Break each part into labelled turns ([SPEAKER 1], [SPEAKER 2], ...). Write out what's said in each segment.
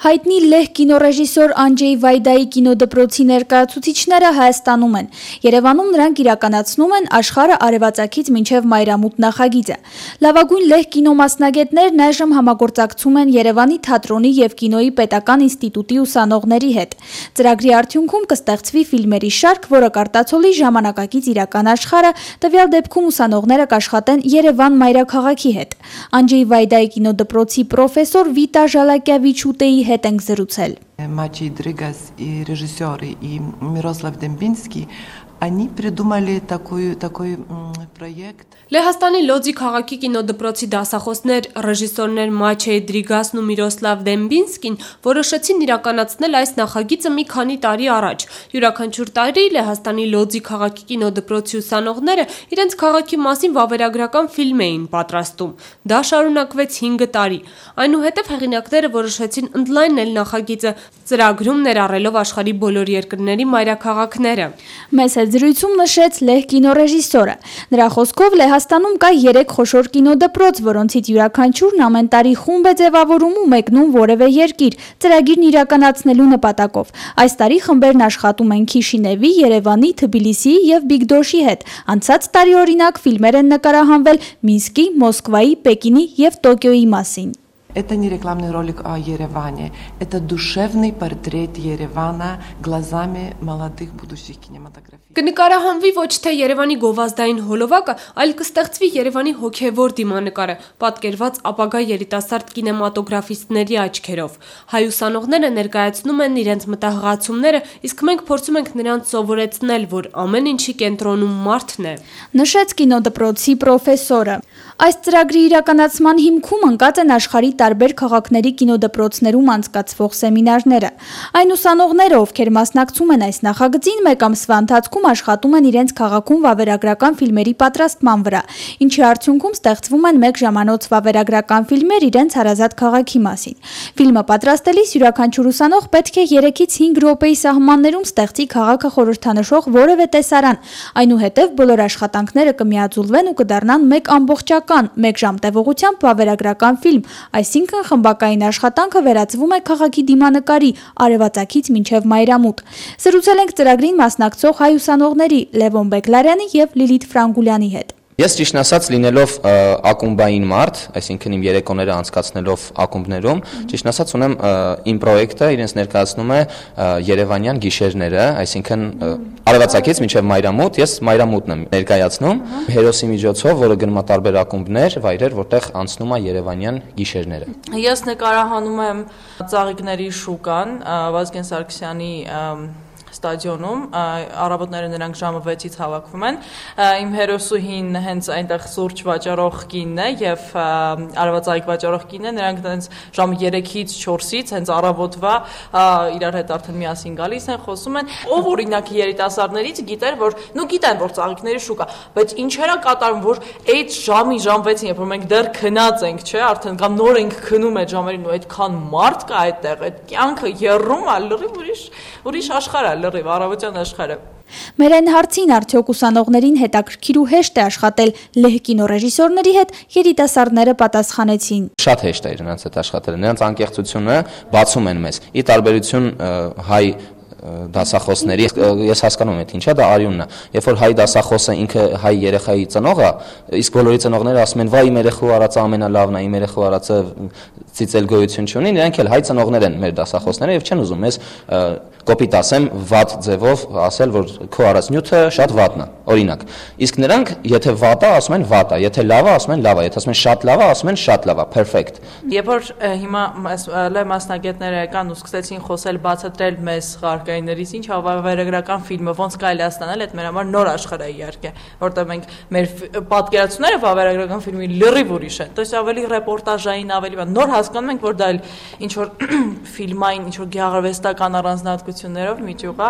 [SPEAKER 1] Հայտնի լեհ կինոռեժիսոր Անջեյ Վայդայի կինոդպրոցի ներկայացուցիչները Հայաստանում են։ Երևանում նրանք իրականացնում են աշխարհը արևածագից մինչև մայրամուտ նախագիծը։ Լավագույն լեհ կինոմասնագետներն այժմ համագործակցում են Երևանի թատրոնի և կինոյի պետական ինստիտուտի ուսանողների հետ։ Ծրագրի արդյունքում կստեղծվի ֆիլմերի շարք, որը կարտացոլի ժամանակակից իրական աշխարհը, տվյալ դեպքում ուսանողները կաշխատեն Երևան մայրաքաղաքի հետ։ Անջեյ Վայդայի կինոդպրոցի պրոֆեսոր Վիտա Ժալակյավիչուտեի հետ ենք զրուցել։
[SPEAKER 2] Мачей Дрыгас и режиссеры, и Мирослав Дембинский, они придумали такой проект.
[SPEAKER 3] Լեհաստանի Լոձի քաղաքի կինոդպրոցի դասախոսներ, ռեժիսորներ Մաչեյ Դրիգասն ու Միրոսլավ Դեմբինսկին որոշեցին իրականացնել այս նախագիծը մի քանի տարի առաջ։ Յուրաքանչյուր տարի Լեհաստանի Լոձի քաղաքի կինոդպրոցի ուսանողները իրենց քաղաքի մասին վավերագրական ֆիլմ էին պատրաստում։ Դա շարունակվեց 5 տարի։ Այնուհետև հեղինակները որոշեցին ընդլայնել նախագիծը, ծրագրում ներառելով աշխարհի բոլոր երկրների մայրաքաղաքները։
[SPEAKER 1] Մեծ զրույցում նշեց լեհ կինոռեժիսորը։ Նրա խոսքով Լեհաստանում կա 3 խոշոր կինոդպրոց, որոնցից յուրաքանչյուրն ամեն տարի խումբ է ձևավորում ու մեկնում որևէ երկիր, ծրագիրն իրականացնելու նպատակով։ Այս տարի խմբերն աշխատում են Քիշինևի, Երևանի, Թբիլիսիի և Բիգդոշի հետ։ Անցած տարի օրինակ ֆիլմեր են նկարահանվել Մինսկի, Մոսկվայի, Պեկինի և Տոկիոյի մասին։
[SPEAKER 2] Это не рекламный ролик о Ереване, это душевный портрет Еревана глазами молодых будущих кинематографистов.
[SPEAKER 3] Կնկարահանվի ոչ թե Երևանի գովազդային հոլովակը, այլ կստեղծվի Երևանի հոգևոր դիմանկարը, պատկերված ապագա երիտասարդ կինեմատոգրաֆիստների աչքերով։ Հայ ուսանողները ներկայացնում են իրենց մտահղացումները, իսկ մենք փորձում ենք նրանց սովորեցնել, որ ամեն ինչի կենտրոնում մարդն է։
[SPEAKER 1] Նշեց կինոդպրոցի պրոֆեսորը։ Այս ծրագրի իրականացման հիմքում ընկած են աշխարհի տարբեր քաղաքների կինոդպրոցներում անցկացվող սեմինարները։ Այն ուսանողները, ովքեր մասնակցում են այս նախագծին, մեկ ամսվա ընթացքում աշխատում են իրենց քաղաքում վավերագրական ֆիլմերի պատրաստման վրա, ինչի արդյունքում ստեղծվում են 1 ժամանոց վավերագրական ֆիլմեր իրենց հարազատ քաղաքի մասին։ Ֆիլմը պատրաստելիս յուրաքանչյուր ուսանող պետք է 3-ից 5 րոպեի սահմաններում ստեղծի քաղաքը խորհրդանշող որևէ տեսարան։ Այնուհետև բոլոր աշխատանքները կմիաձուլվեն ու կդառնան 1 ամբողջական, 1 ժամ տևողությամբ վավերագրական ֆիլմ, այսինքն խմբակային աշխատանքը վերածվում է քաղաքի դիմանկարի արևածագից մինչև մայրամուտ։ Զրուցել ենք ծրագրին մասնակցող հայ ուսանողների Լևոն Բեկլարյանի և Լիլիթ Ֆրանգուլյանի հետ։
[SPEAKER 4] Ես ճիշտ ասած լինելով ակումբային մարդ, այսինքն իմ երեկոները անցկացնելով ակումբներում, ճիշտ ասած ունեմ իմ պրոյեկտը իրենց ներկայացնում է Երևանյան գիշերները, այսինքն արևածագից մինչև մայրամուտ, ես մայրամուտն եմ ներկայացնում հերոսի միջոցով, որը գնում է տարբեր ակումբներ, վայրեր, որտեղ անցնում է Երևանյան գիշերները։
[SPEAKER 5] Ես նկարահանում եմ Ծաղիկների շուկան, Վազգեն Սարգսյանի ստադիոնում, առավոտները նրանք ժամը 6-ից հավաքվում են, իմ հերոսուհին հենց այնտեղ սուրճ վաճառող կինն է և արևածաղիկ վաճառող կինն է, նրանք հենց ժամը 3-ից 4-ից հենց առավոտվա իրար հետ արդեն միասին գալիս են, խոսում են, ով օրինակ երիտասարդներից գիտեր, որ գիտեն, որ Ծաղիկների շուկա, բայց ինչերա կատարում, որ այդ ժամի ժամ 6-ին, երբ որ մենք դեռ քնած ենք, չէ, արդեն կամ նոր ենք քնում այդ ժամերին ու այդքան մարդ կա այդտեղ, այդ կյանքը եռում է, լրիվ ուրիշ աշխարհ է, լրիվ առավոտյան աշխարհը։
[SPEAKER 1] Մեր այն հարցին արդյոք ուսանողներին հետաքրքիր ու հեշտ է աշխատել լեհ կինոռեժիսորների հետ, երիտասարդները պատասխանեցին։
[SPEAKER 4] Շատ հեշտ է նրանց հետ աշխատել, նրանց անկեղծությունը բացում են մեզ։ Ի տարբերություն հայ դասախոսների, ես հասկանում եմ, ինչա դա արյունն է։ Երբ որ հայ դասախոսը ինքը հայ երեխայի ծնողը, իսկ բոլորի ծնողները ասում են, վայ իմ երեխու արածը ամենալավն է, իմ երեխու արածը ծիծել գոյություն չունի, նրանք էլ հայ ծնողներ են մեր դասախոսները եւ չեն ուզում մեզ կոպիտ ասեմ, վատ ձևով ասել, որ քո արած նյութը շատ վատն է, օրինակ։ Իսկ նրանք, եթե վատ է, ասում են վատ է, եթե լավ է, ասում են լավ է, եթե ասում են շատ լավ է, ասում են շատ լավ է, perfect։
[SPEAKER 5] Երբ որ հիմա լավ մասնագետները եկան ու սկսեցին խոսել, բացատրել մեզ ղարկայիններից, ինչ վավերագրական ֆիլմը ոնց կարելի է ստանալ, այդ մեր համար նոր աշխարհ է իհարկե, որտեղ մենք մեր պատկերացումները վավերագրական ֆիլմի լրիվ ուրիշ են։ Դա ավելի ռեպորտաժային, ավելի նոր հասկանում ենք, որ դա ինչ որ ֆիլմային, ինչ որ գեղարվեստական առանձնահատկություններով միջուղ է։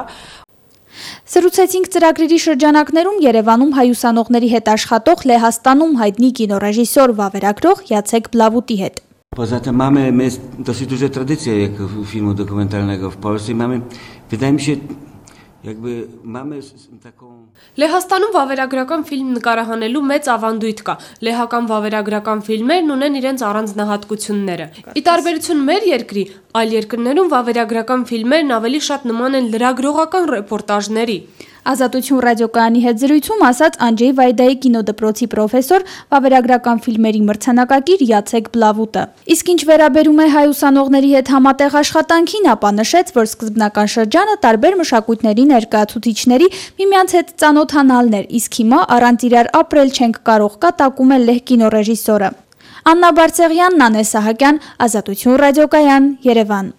[SPEAKER 1] Զրուցեցինք ծրագրերի շրջանակներում Երևանում հայ ուսանողների հետ աշխատող Լեհաստանում հայտնի կինոռեժիսոր վավերագրող Յացեք Բլավուտի հետ։
[SPEAKER 6] Знаете, mamy dosyć duże tradycje jak filmu dokumentalnego w Polsce. Mamy, wydaje mi się, jakby mamy taką
[SPEAKER 3] Լեհաստանում վավերագրական ֆիլմ նկարահանելու մեծ ավանդույթ կա։ Լեհական վավերագրական ֆիլմերն ունեն իրենց առանձնահատկությունները։ Ի տարբերություն մեր երկրի, Այլ երկրներում վավերագրական ֆիլմերն ավելի շատ նման են լրագրողական ռեպորտաժների։
[SPEAKER 1] Ազատություն ռադիոկայանի հետ զրույցում ասաց Անջեյ Վայդայի կինոդպրոցի պրոֆեսոր, վավերագրական ֆիլմերի մրցանակակիր Յացեք Բլավուտը։ Իսկ ինչ վերաբերում է հայ ուսանողների հետ համատեղ աշխատանքին, ապա նշեց, որ սկզբնական շրջանը տարբեր մշակույթների ներկայացուցիչների միմյանց հետ ծանոթանալն էր, իսկ հիմա առանց իրար ապրել չենք կարող, կատակում է լեհ կինոռեժիսորը։ Աննա Բարսեղյան, Նանե Սահակյան, Ազատություն ռադիոկայան, Երևան։